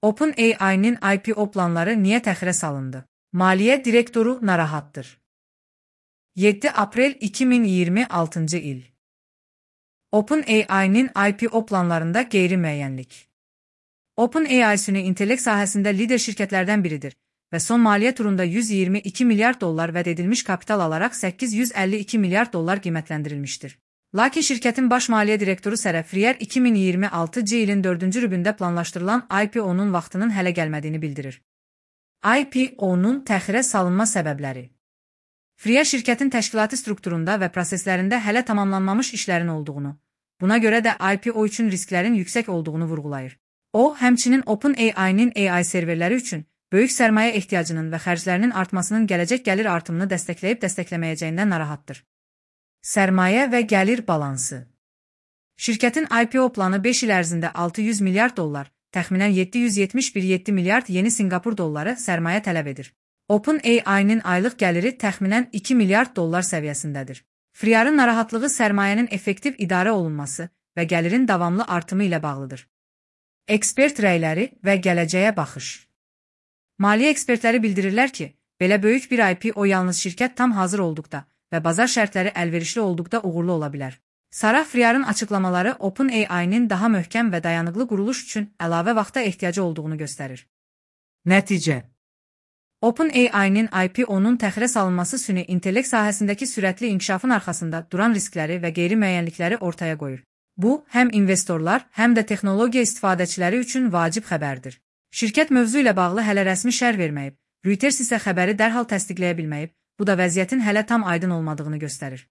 OpenAI-nin IPO planları niyə təxirə salındı? Maliyyə direktoru narahatdır. 7 aprel 2026 il. OpenAI-nin IPO planlarında qeyri-müəyyənlik. OpenAI süni intellekt sahəsində lider şirkətlərdən biridir və son maliyyə turunda 122 milyard dollar vəd edilmiş kapital alaraq 852 milyard dollar qiymətləndirilmişdir. Lakin şirkətin baş maliyyə direktoru Sarah Frier 2026 ilin 4-cü rübündə planlaşdırılan IPO-nun vaxtının hələ gəlmədiyini bildirir. IPO-nun təxirə salınma səbəbləri. Frier şirkətin təşkilati strukturunda və proseslərində hələ tamamlanmamış işlərin olduğunu, buna görə də IPO üçün risklərin yüksək olduğunu vurğulayır. O, həmçinin OpenAI-nin AI serverləri üçün böyük sərmayə ehtiyacının və xərclərinin artmasının gələcək gəlir artımını dəstəkləyib dəstəkləməyəcəyindən narahatdır. Sərmayə və gəlir balansı. Şirkətin IPO planı 5 il ərzində 600 milyard dollar, təxminən 771 milyard yeni Sinqapur dolları sərmayə tələb edir. OpenAI-nin aylıq gəliri təxminən 2 milyard dollar səviyyəsindədir. Frier'in narahatlığı sərmayənin effektiv idarə olunması və gəlirin davamlı artımı ilə bağlıdır. Ekspert rəyləri və gələcəyə baxış. Maliyyə ekspertləri bildirirlər ki, belə böyük bir IPO yalnız şirkət tam hazır olduqda və bazar şərtləri əlverişli olduqda uğurlu ola bilər. Sarah Frier'in açıqlamaları OpenAI-nin daha möhkəm və dayanıqlı quruluş üçün əlavə vaxta ehtiyacı olduğunu göstərir. Nəticə. OpenAI-nin IPO-nun təxirə salınması süni intellekt sahəsindəki sürətli inkişafın arxasında duran riskləri və qeyri-müəyyənlikləri ortaya qoyur. Bu, həm investorlar, həm də texnologiya istifadəçiləri üçün vacib xəbərdir. Şirkət mövzu ilə bağlı hələ rəsmi şərh verməyib, Reuters isə xəbəri dərhal təsdiqləyə bilməyib, bu da vəziyyətin hələ tam aydın olmadığını göstərir.